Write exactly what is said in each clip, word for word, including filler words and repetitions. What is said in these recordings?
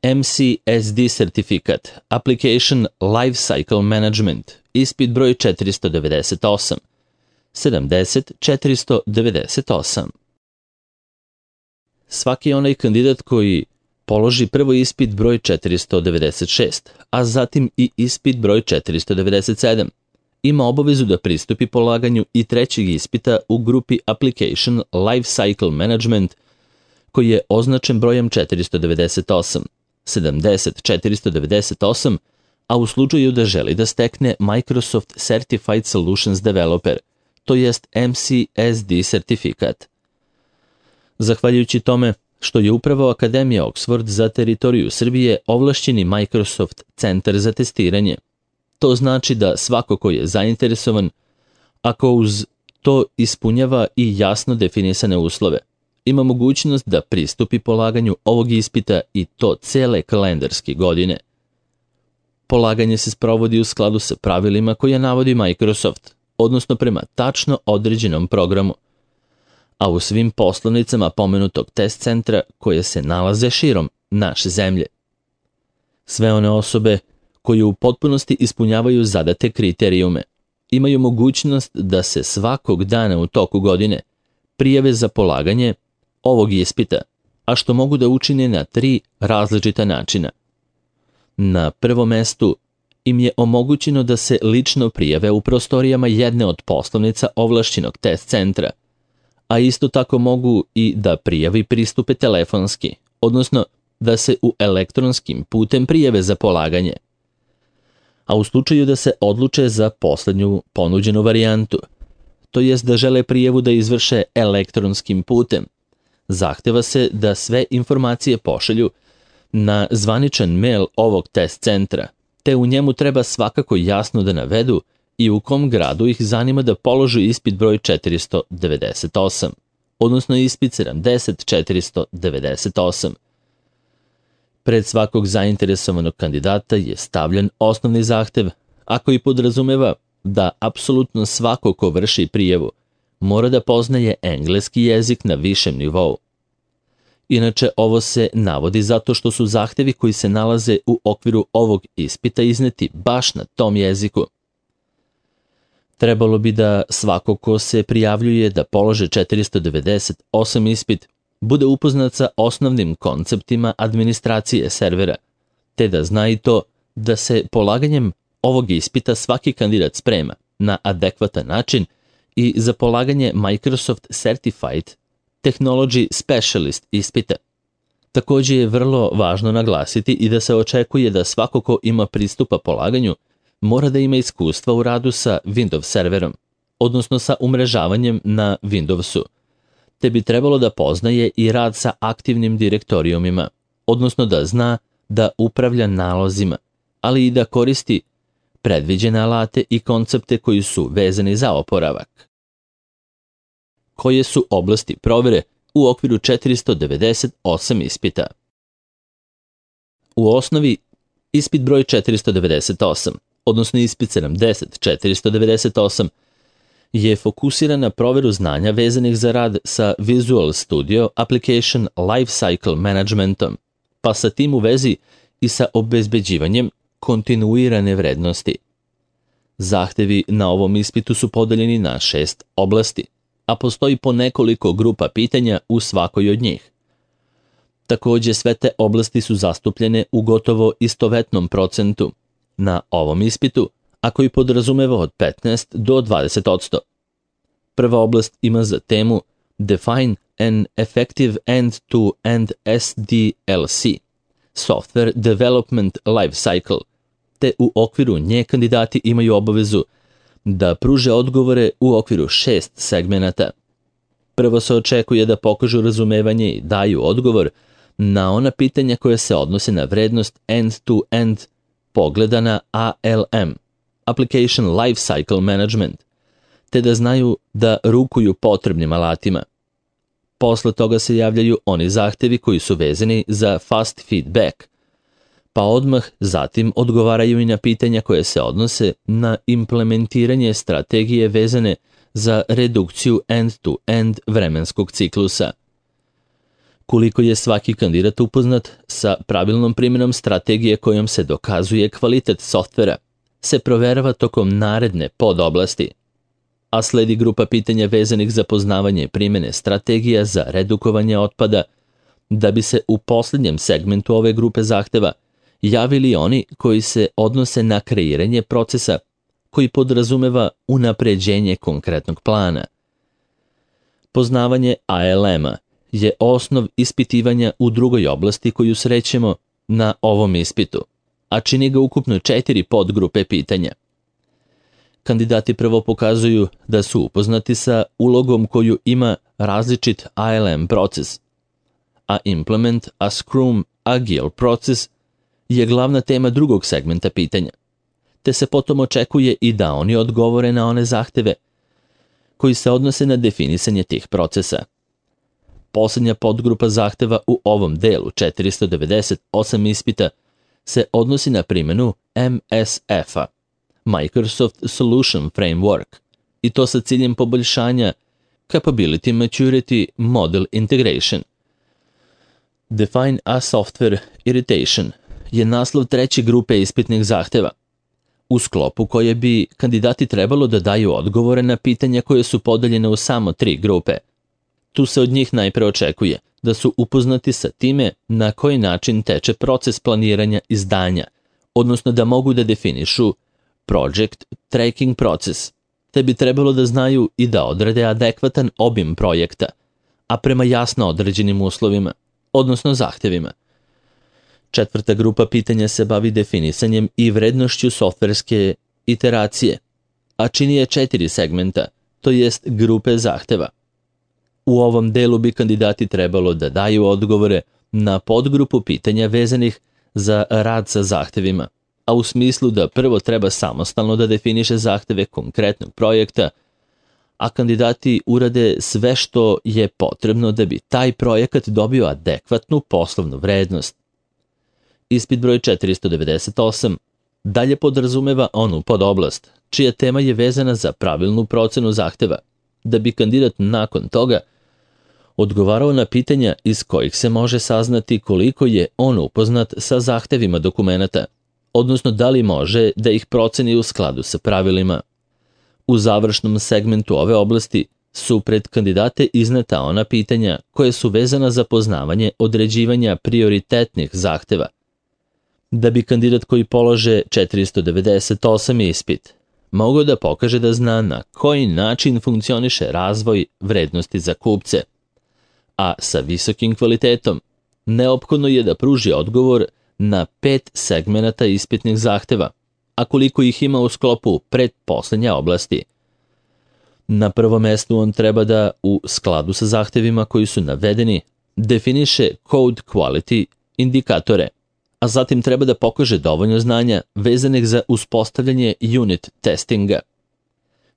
M C S D sertifikat, Application Lifecycle Management, ispit broj četiristo devedeset osam, sedamdeset četiristo devedeset osam. Svaki onaj kandidat koji položi prvo ispit broj četiristo devedeset šest, a zatim i ispit broj četiristo devedeset sedam, ima obavezu da pristupi polaganju i trećeg ispita u grupi Application Lifecycle Management, koji je označen brojem četiristo devedeset osam, sedamdeset četiristo devedeset osam, a u slučaju da želi da stekne Microsoft Certified Solutions Developer, to jest M C S D sertifikat. Zahvaljujući tome što je upravo Akademija Oxford za teritoriju Srbije ovlašćeni Microsoft centar za testiranje. To znači da svako ko je zainteresovan, ako uz to ispunjava i jasno definisane uslove, ima mogućnost da pristupi polaganju ovog ispita i to cele kalendarske godine. Polaganje se sprovodi u skladu sa pravilima koje navodi Microsoft, odnosno prema tačno određenom programu, a u svim poslovnicama pomenutog test centra koje se nalaze širom naše zemlje. Sve one osobe koje u potpunosti ispunjavaju zadate kriterijume imaju mogućnost da se svakog dana u toku godine prijave za polaganje ovog ispita, a što mogu da učine na tri različita načina. Na prvom mestu im je omogućeno da se lično prijave u prostorijama jedne od poslovnica ovlašćenog test centra, a isto tako mogu i da prijavi pristupe telefonski, odnosno da se u elektronskim putem prijave za polaganje. A u slučaju da se odluče za poslednju ponuđenu varijantu, to jest da žele prijavu da izvrše elektronskim putem, zahteva se da sve informacije pošalju na zvaničan mail ovog test centra, te u njemu treba svakako jasno da navedu i u kom gradu ih zanima da položu ispit broj četiristo devedeset osam, odnosno ispit sedamdeset četiristo devedeset osam. Pred svakog zainteresovanog kandidata je stavljen osnovni zahtev, a koji podrazumeva da apsolutno svako ko vrši prijavu mora da poznaje engleski jezik na višem nivou. Inače, ovo se navodi zato što su zahtevi koji se nalaze u okviru ovog ispita izneti baš na tom jeziku. Trebalo bi da svako ko se prijavljuje da polože četiristo devedeset osam ispit bude upoznat sa osnovnim konceptima administracije servera, te da zna i to da se polaganjem ovog ispita svaki kandidat sprema na adekvatan način i za polaganje Microsoft Certified Technology Specialist ispita. Također je vrlo važno naglasiti i da se očekuje da svako ko ima pristupa polaganju mora da ima iskustva u radu sa Windows serverom, odnosno sa umrežavanjem na Windowsu, te bi trebalo da poznaje i rad sa aktivnim direktorijumima, odnosno da zna da upravlja nalozima, ali i da koristi predviđene alate i koncepte koji su vezani za oporavak. Koje su oblasti provere u okviru četiristo devedeset osam ispita? U osnovi, ispit broj četiristo devedeset osam, odnosno ispit sedamdeset četiristo devedeset osam, je fokusiran na proveru znanja vezanih za rad sa Visual Studio Application Lifecycle Managementom, pa sa tim u vezi i sa obezbeđivanjem kontinuirane vrednosti. Zahtevi na ovom ispitu su podeljeni na šest oblasti, a postoji po nekoliko grupa pitanja u svakoj od njih. Također sve te oblasti su zastupljene u gotovo istovetnom procentu na ovom ispitu, a koji podrazumeva od petnaest do dvadeset odsto. Prva oblast ima za temu Define an Effective End-to-End S D L C, Software Development Lifecycle, te u okviru nje kandidati imaju obavezu da pruže odgovore u okviru šest segmenata. Prvo se očekuje da pokažu razumevanje i daju odgovor na ona pitanja koja se odnose na vrednost end-to-end pogleda na A L M, Application Lifecycle Management, te da znaju da rukuju potrebnim alatima. Posle toga se javljaju oni zahtevi koji su vezani za fast feedback, pa odmah zatim odgovaraju i na pitanja koje se odnose na implementiranje strategije vezane za redukciju end-to-end vremenskog ciklusa. Koliko je svaki kandidat upoznat sa pravilnom primjenom strategije kojom se dokazuje kvalitet softvera, se proverava tokom naredne podoblasti, a sledi grupa pitanja vezanih za poznavanje primjene strategija za redukovanje otpada, da bi se u posljednjem segmentu ove grupe zahteva javili oni koji se odnose na kreiranje procesa koji podrazumeva unapređenje konkretnog plana. Poznavanje A L M-a je osnov ispitivanja u drugoj oblasti koju srećemo na ovom ispitu, a čini ga ukupno četiri podgrupe pitanja. Kandidati prvo pokazuju da su upoznati sa ulogom koju ima različit A L M proces, a Implement a Scrum Agile proces je glavna tema drugog segmenta pitanja, te se potom očekuje i da oni odgovore na one zahteve koji se odnose na definisanje tih procesa. Posljednja podgrupa zahteva u ovom delu četiristo devedeset osam ispita se odnosi na primjenu M S F-a, Microsoft Solution Framework, i to sa ciljem poboljšanja Capability Maturity Model Integration. Define a Software Irritation je naslov treće grupe ispitnih zahteva, u sklopu koje bi kandidati trebalo da daju odgovore na pitanja koje su podeljene u samo tri grupe. Tu se od njih najpre očekuje da su upoznati sa time na koji način teče proces planiranja izdanja, odnosno da mogu da definišu project tracking proces, te bi trebalo da znaju i da odrede adekvatan obim projekta, a prema jasno određenim uslovima, odnosno zahtjevima. Četvrta grupa pitanja se bavi definisanjem i vrednošću softverske iteracije, a čini je četiri segmenta, to jest grupe zahteva. U ovom delu bi kandidati trebalo da daju odgovore na podgrupu pitanja vezanih za rad sa zahtevima, a u smislu da prvo treba samostalno da definiše zahteve konkretnog projekta, a kandidati urade sve što je potrebno da bi taj projekat dobio adekvatnu poslovnu vrednost. Ispit broj četiristo devedeset osam dalje podrazumeva onu podoblast, čija tema je vezana za pravilnu procenu zahteva, da bi kandidat nakon toga odgovarao na pitanja iz kojih se može saznati koliko je on upoznat sa zahtevima dokumenata, odnosno da li može da ih proceni u skladu sa pravilima. U završnom segmentu ove oblasti su pred kandidate izneta ona pitanja koje su vezana za poznavanje određivanja prioritetnih zahteva. Da bi kandidat koji polože četiristo devedeset osam ispit mogao da pokaže da zna na koji način funkcioniše razvoj vrednosti za kupce, a sa visokim kvalitetom, neophodno je da pruži odgovor na pet segmenata ispitnih zahteva, a koliko ih ima u sklopu pretposlednje oblasti. Na prvom mestu on treba da, u skladu sa zahtevima koji su navedeni, definiše code quality indikatore, a zatim treba da pokaže dovoljno znanja vezanih za uspostavljanje unit testinga.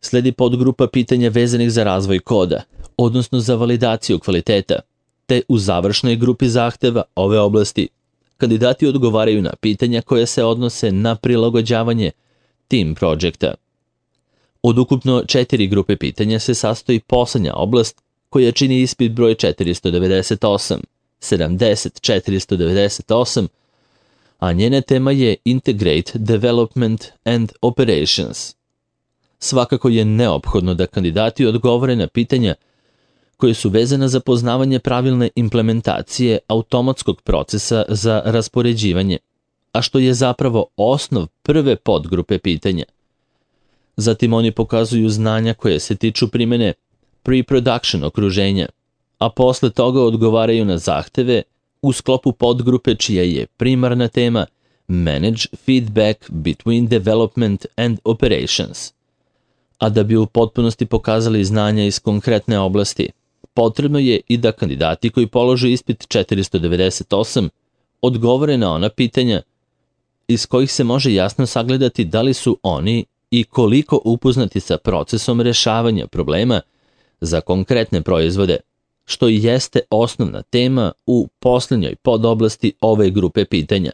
Sledi podgrupa pitanja vezanih za razvoj koda, odnosno za validaciju kvaliteta, te u završnoj grupi zahteva ove oblasti kandidati odgovaraju na pitanja koje se odnose na prilagođavanje team projekta. Od ukupno četiri grupe pitanja se sastoji poslednja oblast koja čini ispit broj četiristo devedeset osam, sedamdeset, četiristo devedeset osam, a njena tema je Integrate Development and Operations. Svakako je neophodno da kandidati odgovore na pitanja koje su vezana za poznavanje pravilne implementacije automatskog procesa za raspoređivanje, a što je zapravo osnov prve podgrupe pitanja. Zatim oni pokazuju znanja koje se tiču primjene pre-production okruženja, a posle toga odgovaraju na zahteve u sklopu podgrupe čija je primarna tema Manage Feedback Between Development and Operations. A da bi u potpunosti pokazali znanja iz konkretne oblasti, potrebno je i da kandidati koji polože ispit četiristo devedeset osam odgovore na ona pitanja iz kojih se može jasno sagledati da li su oni i koliko upoznati sa procesom rešavanja problema za konkretne proizvode, što i jeste osnovna tema u posljednjoj podoblasti ove grupe pitanja,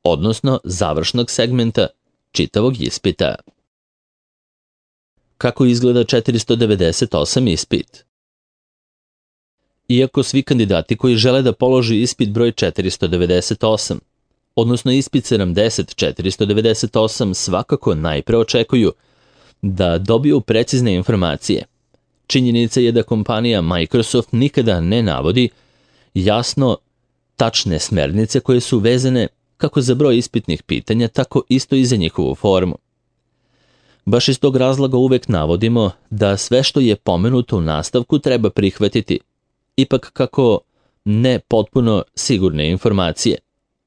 odnosno završnog segmenta čitavog ispita. Kako izgleda četiristo devedeset osam ispit? Iako svi kandidati koji žele da položi ispit broj četiristo devedeset osam, odnosno ispit sedamdeset četiristo devedeset osam, svakako najpre očekuju da dobiju precizne informacije. Činjenica je da kompanija Microsoft nikada ne navodi jasno tačne smernice koje su vezane kako za broj ispitnih pitanja, tako isto i za njihovu formu. Baš iz tog razloga uvek navodimo da sve što je pomenuto u nastavku treba prihvatiti, ipak kako ne potpuno sigurne informacije,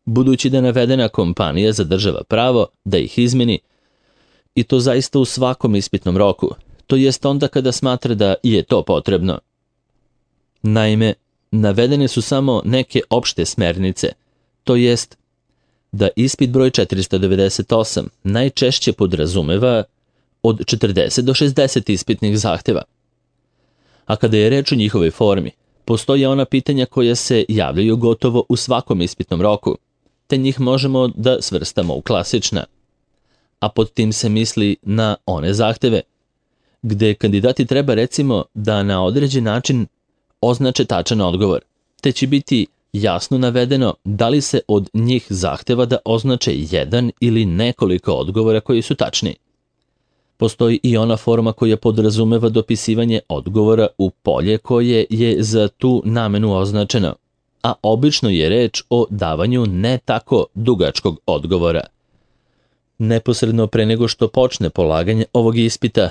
budući da navedena kompanija zadržava pravo da ih izmeni, i to zaista u svakom ispitnom roku, to jest onda kada smatra da je to potrebno. Naime, navedene su samo neke opšte smernice, to jest da ispit broj četiristo devedeset osam najčešće podrazumeva od četrdeset do šezdeset ispitnih zahteva. A kada je reč o njihovoj formi, postoje ona pitanja koja se javljaju gotovo u svakom ispitnom roku, te njih možemo da svrstamo u klasična. A pod tim se misli na one zahteve gde kandidati treba recimo da na određen način označe tačan odgovor, te će biti jasno navedeno da li se od njih zahteva da označe jedan ili nekoliko odgovora koji su tačni. Postoji i ona forma koja podrazumeva dopisivanje odgovora u polje koje je za tu namenu označeno, a obično je reč o davanju ne tako dugačkog odgovora. Neposredno pre nego što počne polaganje ovog ispita,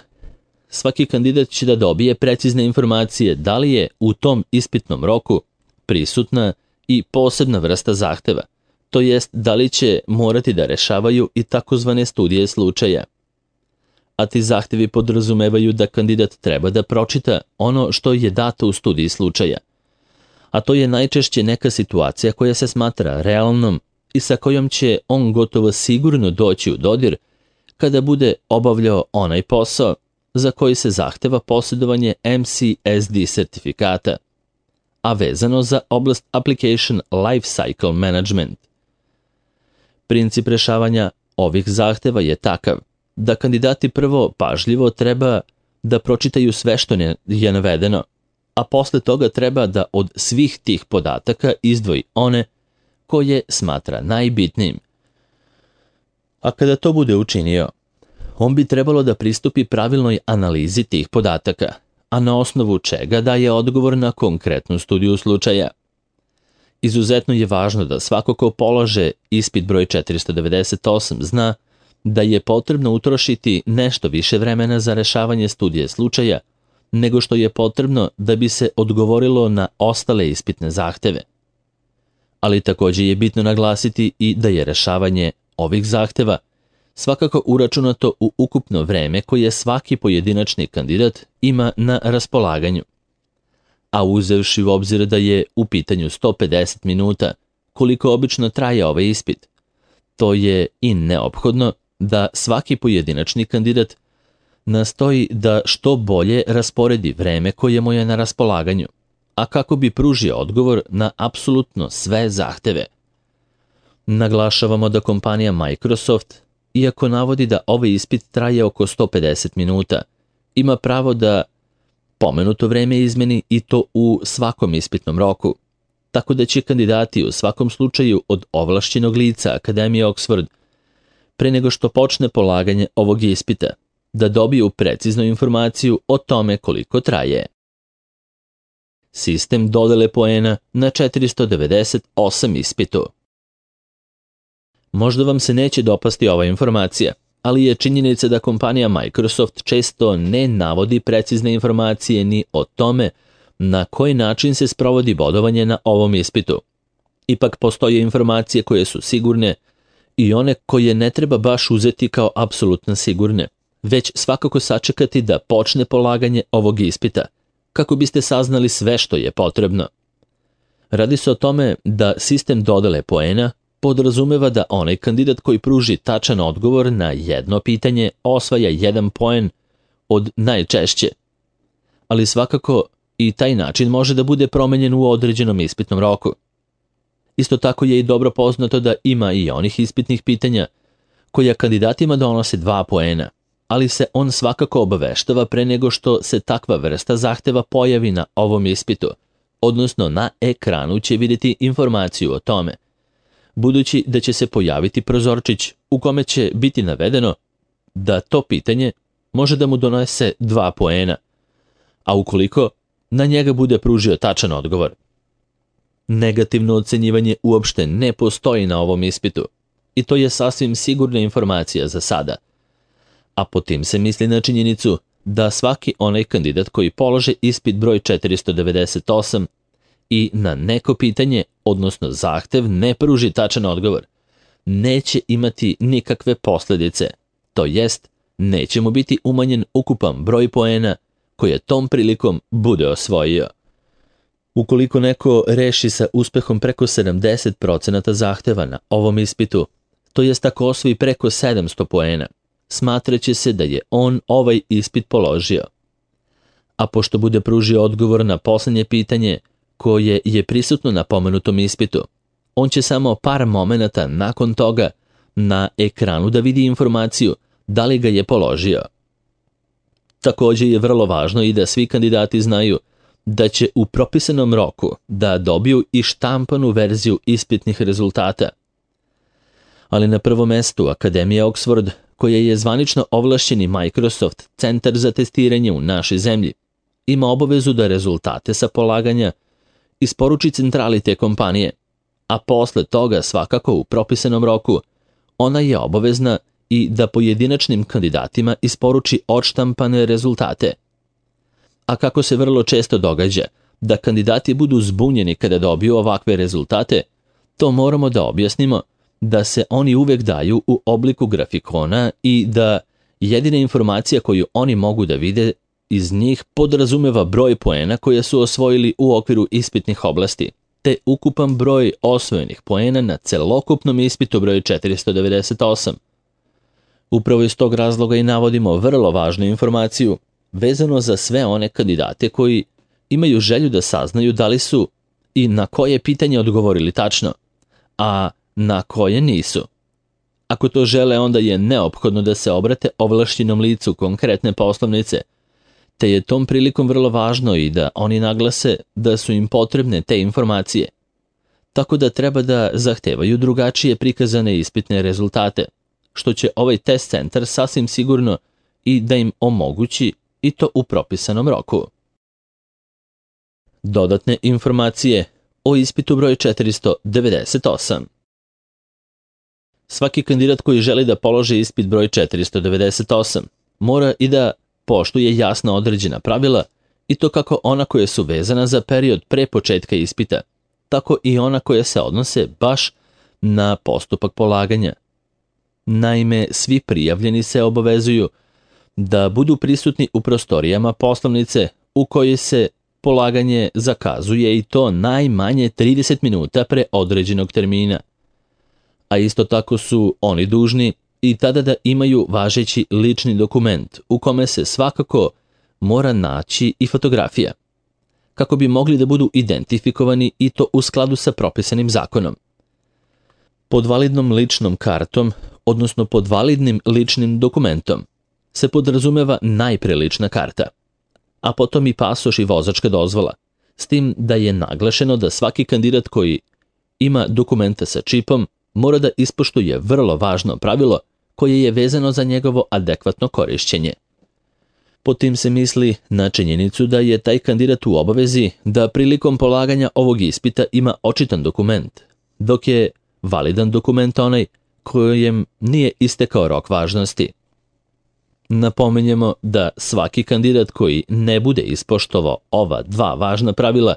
svaki kandidat će da dobije precizne informacije da li je u tom ispitnom roku prisutna i posebna vrsta zahteva, to jest da li će morati da rešavaju i takozvane studije slučaja. A ti zahtevi podrazumevaju da kandidat treba da pročita ono što je dato u studiji slučaja, a to je najčešće neka situacija koja se smatra realnom i sa kojom će on gotovo sigurno doći u dodir kada bude obavljao onaj posao za koji se zahteva posjedovanje M C S D sertifikata, a vezano za oblast Application Lifecycle Management. Princip rešavanja ovih zahteva je takav da kandidati prvo pažljivo treba da pročitaju sve što je navedeno, a posle toga treba da od svih tih podataka izdvoji one koje smatra najbitnijim. A kada to bude učinio, on bi trebalo da pristupi pravilnoj analizi tih podataka, a na osnovu čega daje odgovor na konkretnu studiju slučaja. Izuzetno je važno da svako ko polaže ispit broj četiristo devedeset osam zna da je potrebno utrošiti nešto više vremena za rešavanje studije slučaja nego što je potrebno da bi se odgovorilo na ostale ispitne zahteve. Ali takođe je bitno naglasiti i da je rešavanje ovih zahteva svakako uračunato u ukupno vreme koje svaki pojedinačni kandidat ima na raspolaganju. A uzevši u obzir da je u pitanju sto pedeset minuta, koliko obično traje ovaj ispit, to je i neophodno da svaki pojedinačni kandidat nastoji da što bolje rasporedi vreme koje mu je na raspolaganju, a kako bi pružio odgovor na apsolutno sve zahteve. Naglašavamo da kompanija Microsoft, iako navodi da ovaj ispit traje oko sto pedeset minuta, ima pravo da pomenuto vreme izmeni i to u svakom ispitnom roku, tako da će kandidati u svakom slučaju od ovlašćenog lica Akademije Oxford, pre nego što počne polaganje ovog ispita, da dobiju preciznu informaciju o tome koliko traje. Sistem dodele poena na četiristo devedeset osam ispitu. Možda vam se neće dopasti ova informacija, ali je činjenica da kompanija Microsoft često ne navodi precizne informacije ni o tome na koji način se sprovodi bodovanje na ovom ispitu. Ipak postoje informacije koje su sigurne i one koje ne treba baš uzeti kao apsolutno sigurne, već svakako sačekati da počne polaganje ovog ispita, kako biste saznali sve što je potrebno. Radi se o tome da sistem dodele poena podrazumeva da onaj kandidat koji pruži tačan odgovor na jedno pitanje osvaja jedan poen od najčešće, ali svakako i taj način može da bude promenjen u određenom ispitnom roku. Isto tako je i dobro poznato da ima i onih ispitnih pitanja koja kandidatima donose dva poena, ali se on svakako obaveštava pre nego što se takva vrsta zahteva pojavi na ovom ispitu, odnosno na ekranu će vidjeti informaciju o tome, budući da će se pojaviti prozorčić u kome će biti navedeno da to pitanje može da mu donese dva poena, a ukoliko na njega bude pružio tačan odgovor. Negativno ocenjivanje uopšte ne postoji na ovom ispitu i to je sasvim sigurna informacija za sada, a po tim se misli na činjenicu da svaki onaj kandidat koji polože ispit broj četiristo devedeset osam i na neko pitanje, odnosno zahtev, ne pruži tačan odgovor, neće imati nikakve posljedice, to jest neće mu biti umanjen ukupan broj poena koje tom prilikom bude osvojio. Ukoliko neko reši sa uspehom preko sedamdeset procenata zahteva na ovom ispitu, to jest ako osvoji preko sedamsto poena, smatraće se da je on ovaj ispit položio. A pošto bude pružio odgovor na posljednje pitanje koje je prisutno na pomenutom ispitu, on će samo par momenata nakon toga na ekranu da vidi informaciju da li ga je položio. Također je vrlo važno i da svi kandidati znaju da će u propisanom roku da dobiju i štampanu verziju ispitnih rezultata. Ali na prvom mestu Akademija Oxford, koja je zvanično ovlašćeni Microsoft centar za testiranje u našoj zemlji, ima obavezu da rezultate sa polaganja isporuči centrali te kompanije, a posle toga svakako u propisanom roku ona je obavezna i da pojedinačnim kandidatima isporuči odštampane rezultate. A kako se vrlo često događa da kandidati budu zbunjeni kada dobiju ovakve rezultate, to moramo da objasnimo da se oni uvek daju u obliku grafikona i da jedina informacija koju oni mogu da vide iz njih podrazumeva broj poena koje su osvojili u okviru ispitnih oblasti, te ukupan broj osvojenih poena na celokupnom ispitu broj četiristo devedeset osam. Upravo iz tog razloga i navodimo vrlo važnu informaciju vezano za sve one kandidate koji imaju želju da saznaju da li su i na koje pitanje odgovorili tačno, a na koje nisu. Ako to žele, onda je neophodno da se obrate ovlašćenom licu konkretne poslovnice, te je tom prilikom vrlo važno i da oni naglase da su im potrebne te informacije, tako da treba da zahtevaju drugačije prikazane ispitne rezultate, što će ovaj test centar sasvim sigurno i da im omogući i to u propisanom roku. Dodatne informacije o ispitu broj četiristo devedeset osam. Svaki kandidat koji želi da položi ispit broj četiristo devedeset osam mora i da poštuje jasno određena pravila, i to kako ona koja su vezana za period pre početka ispita, tako i ona koja se odnose baš na postupak polaganja. Naime, svi prijavljeni se obavezuju da budu prisutni u prostorijama poslovnice u kojoj se polaganje zakazuje, i to najmanje trideset minuta pre određenog termina. A isto tako su oni dužni i tada da imaju važeći lični dokument u kome se svakako mora naći i fotografija, kako bi mogli da budu identifikovani, i to u skladu sa propisanim zakonom. Pod validnom ličnom kartom, odnosno pod validnim ličnim dokumentom, se podrazumeva najpre lična karta, a potom i pasoš i vozačka dozvola, s tim da je naglašeno da svaki kandidat koji ima dokumenta sa čipom mora da ispoštuje vrlo važno pravilo koje je vezano za njegovo adekvatno korišćenje. Po tim se misli na činjenicu da je taj kandidat u obavezi da prilikom polaganja ovog ispita ima očitan dokument, dok je validan dokument onaj kojem nije istekao rok važnosti. Napominjemo da svaki kandidat koji ne bude ispoštovao ova dva važna pravila,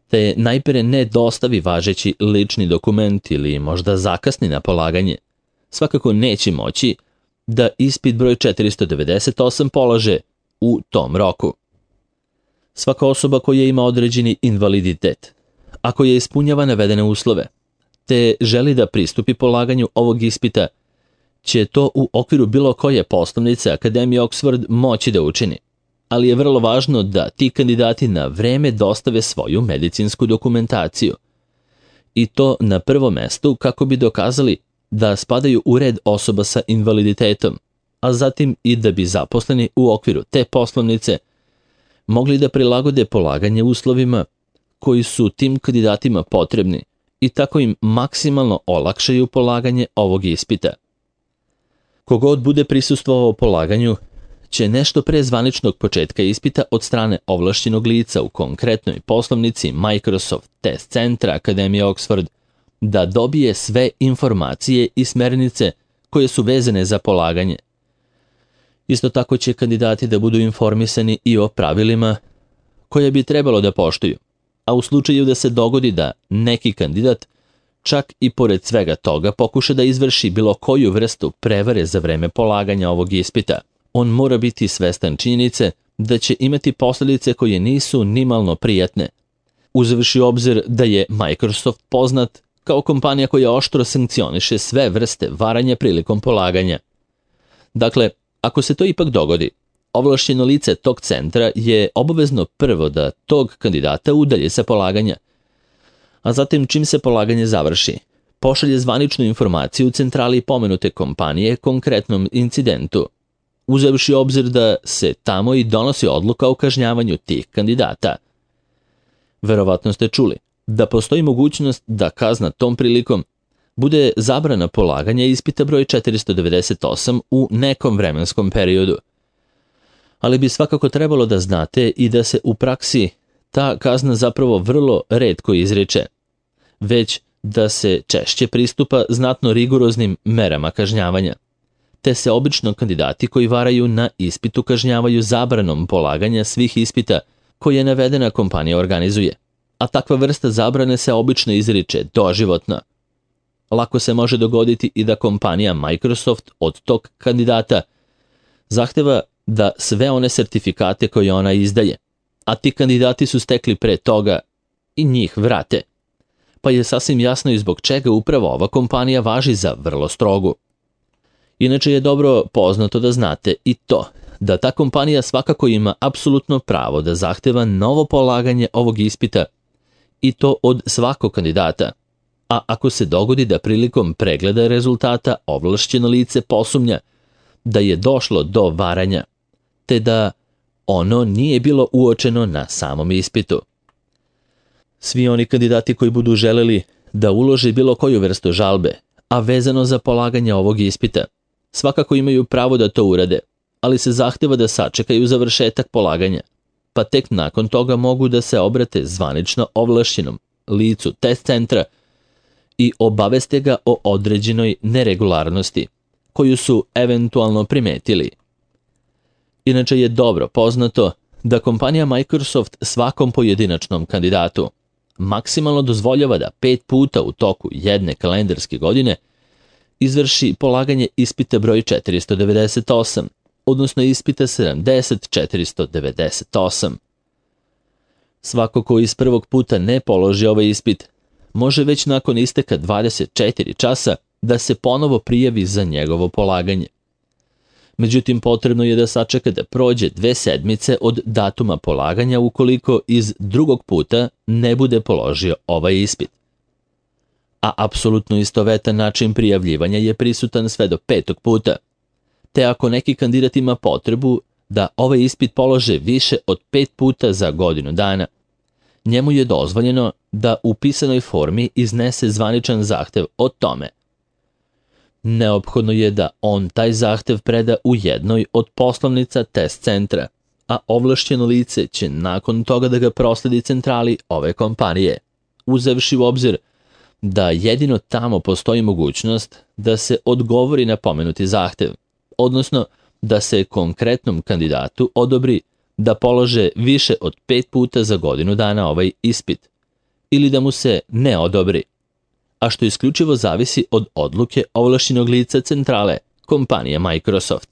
te najpre ne dostavi važeći lični dokument ili možda zakasni na polaganje, svakako neće moći da ispit broj četiristo devedeset osam polože u tom roku. Svaka osoba koja ima određeni invaliditet, ako je ispunjava navedene uslove, te želi da pristupi polaganju ovog ispita, će to u okviru bilo koje poslovnice Akademije Oxford moći da učini, ali je vrlo važno da ti kandidati na vreme dostave svoju medicinsku dokumentaciju, i to na prvom mestu kako bi dokazali da spadaju u red osoba sa invaliditetom, a zatim i da bi zaposleni u okviru te poslovnice mogli da prilagode polaganje uslovima koji su tim kandidatima potrebni i tako im maksimalno olakšaju polaganje ovog ispita. Kogod bude prisustvovao polaganju će nešto pre zvaničnog početka ispita od strane ovlašćenog lica u konkretnoj poslovnici Microsoft Test Centra Akademije Oxford da dobije sve informacije i smernice koje su vezane za polaganje. Isto tako će kandidati da budu informisani i o pravilima koje bi trebalo da poštuju, a u slučaju da se dogodi da neki kandidat čak i pored svega toga pokuša da izvrši bilo koju vrstu prevare za vreme polaganja ovog ispita, on mora biti svestan činjenice da će imati posljedice koje nisu nimalno prijatne, uzevši u obzir da je Microsoft poznat kao kompanija koja oštro sankcioniše sve vrste varanja prilikom polaganja. Dakle, ako se to ipak dogodi, ovlašćeno lice tog centra je obavezno prvo da tog kandidata udalji sa polaganja, a zatim čim se polaganje završi, pošalje zvaničnu informaciju u centrali pomenute kompanije konkretnom incidentu, uzevši u obzir da se tamo i donosi odluka o kažnjavanju tih kandidata. Verovatno ste čuli da postoji mogućnost da kazna tom prilikom bude zabrana polaganja ispita broj četiristo devedeset osam u nekom vremenskom periodu. Ali bi svakako trebalo da znate i da se u praksi ta kazna zapravo vrlo retko izriče, već da se češće pristupa znatno rigoroznim merama kažnjavanja, te se obično kandidati koji varaju na ispitu kažnjavaju zabranom polaganja svih ispita koje navedena kompanija organizuje, a takva vrsta zabrane se obično izriče doživotno. Lako se može dogoditi i da kompanija Microsoft od tog kandidata zahteva da sve one sertifikate koje ona izdaje, a ti kandidati su stekli pre toga, i njih vrate. Pa je sasvim jasno i zbog čega upravo ova kompanija važi za vrlo strogu. Inače je dobro poznato da znate i to, da ta kompanija svakako ima apsolutno pravo da zahteva novo polaganje ovog ispita i to od svakog kandidata. A ako se dogodi da prilikom pregleda rezultata ovlašćeno lice posumnja da je došlo do varanja, te da ono nije bilo uočeno na samom ispitu. Svi oni kandidati koji budu želeli da ulože bilo koju vrstu žalbe, a vezano za polaganje ovog ispita, svakako imaju pravo da to urade, ali se zahteva da sačekaju završetak polaganja, pa tek nakon toga mogu da se obrate zvanično ovlašćenom licu test centra i obaveste ga o određenoj neregularnosti koju su eventualno primetili. Inače je dobro poznato da kompanija Microsoft svakom pojedinačnom kandidatu maksimalno dozvoljava da pet puta u toku jedne kalendarske godine izvrši polaganje ispita broj četiristo devedeset osam, odnosno ispita sedamdeset četiristo devedeset osam. Svako ko iz prvog puta ne položi ovaj ispit, može već nakon isteka dvadeset četiri časa da se ponovo prijavi za njegovo polaganje. Međutim, potrebno je da sačeka da prođe dve sedmice od datuma polaganja ukoliko iz drugog puta ne bude položio ovaj ispit. A apsolutno istovetan način prijavljivanja je prisutan sve do petog puta, te ako neki kandidat ima potrebu da ovaj ispit polože više od pet puta za godinu dana, njemu je dozvoljeno da u pisanoj formi iznese zvaničan zahtev o tome. Neophodno je da on taj zahtev preda u jednoj od poslovnica test centra, a ovlašćeno lice će nakon toga da ga prosledi centrali ove kompanije, uzevši u obzir da jedino tamo postoji mogućnost da se odgovori na pomenuti zahtev, odnosno da se konkretnom kandidatu odobri da polože više od pet puta za godinu dana ovaj ispit, ili da mu se ne odobri, a što isključivo zavisi od odluke ovlašćenog lica centrale, kompanije Microsoft.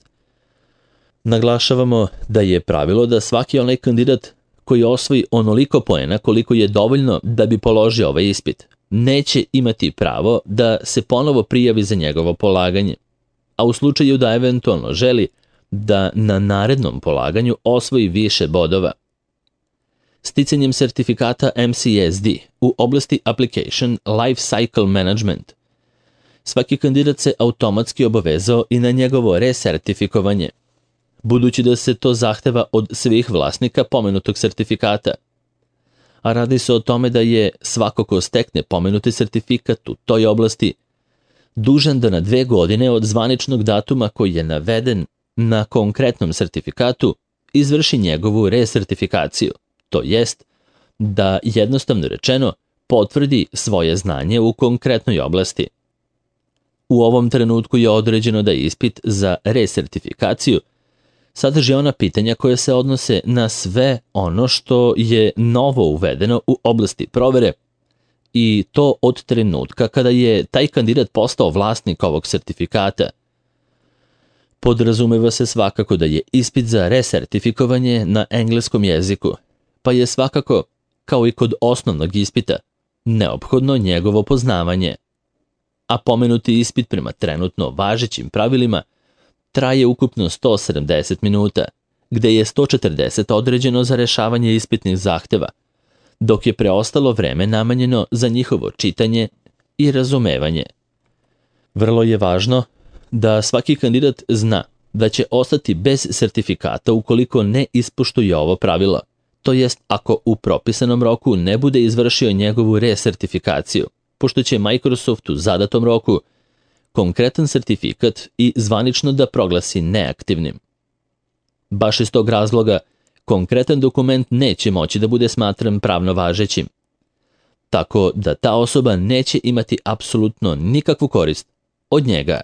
Naglašavamo da je pravilo da svaki onaj kandidat koji osvoji onoliko poena koliko je dovoljno da bi položio ovaj ispit, neće imati pravo da se ponovo prijavi za njegovo polaganje, a u slučaju da eventualno želi da na narednom polaganju osvoji više bodova. Sticanjem sertifikata M C S D u oblasti Application Life Cycle Management, svaki kandidat se automatski obavezao i na njegovo resertifikovanje, budući da se to zahteva od svih vlasnika pomenutog sertifikata. a radi se o tome da je svako ko stekne pomenuti sertifikat u toj oblasti dužan da na dve godine od zvaničnog datuma koji je naveden na konkretnom sertifikatu izvrši njegovu resertifikaciju, to jest da, jednostavno rečeno, potvrdi svoje znanje u konkretnoj oblasti. U ovom trenutku je određeno da ispit za resertifikaciju sadrži ona pitanja koja se odnose na sve ono što je novo uvedeno u oblasti provere, i to od trenutka kada je taj kandidat postao vlasnik ovog sertifikata. Podrazumeva se svakako da je ispit za resertifikovanje na engleskom jeziku, pa je svakako, kao i kod osnovnog ispita, neophodno njegovo poznavanje. A pomenuti ispit prema trenutno važećim pravilima traje ukupno sto sedamdeset minuta, gde je sto četrdeset određeno za rešavanje ispitnih zahteva, dok je preostalo vreme namenjeno za njihovo čitanje i razumevanje. Vrlo je važno da svaki kandidat zna da će ostati bez sertifikata ukoliko ne ispoštuje ovo pravilo, to jest ako u propisanom roku ne bude izvršio njegovu resertifikaciju, pošto će Microsoft u zadatom roku konkretan sertifikat i zvanično da proglasi neaktivnim. Baš iz tog razloga, konkretan dokument neće moći da bude smatran pravno važećim, tako da ta osoba neće imati apsolutno nikakvu korist od njega.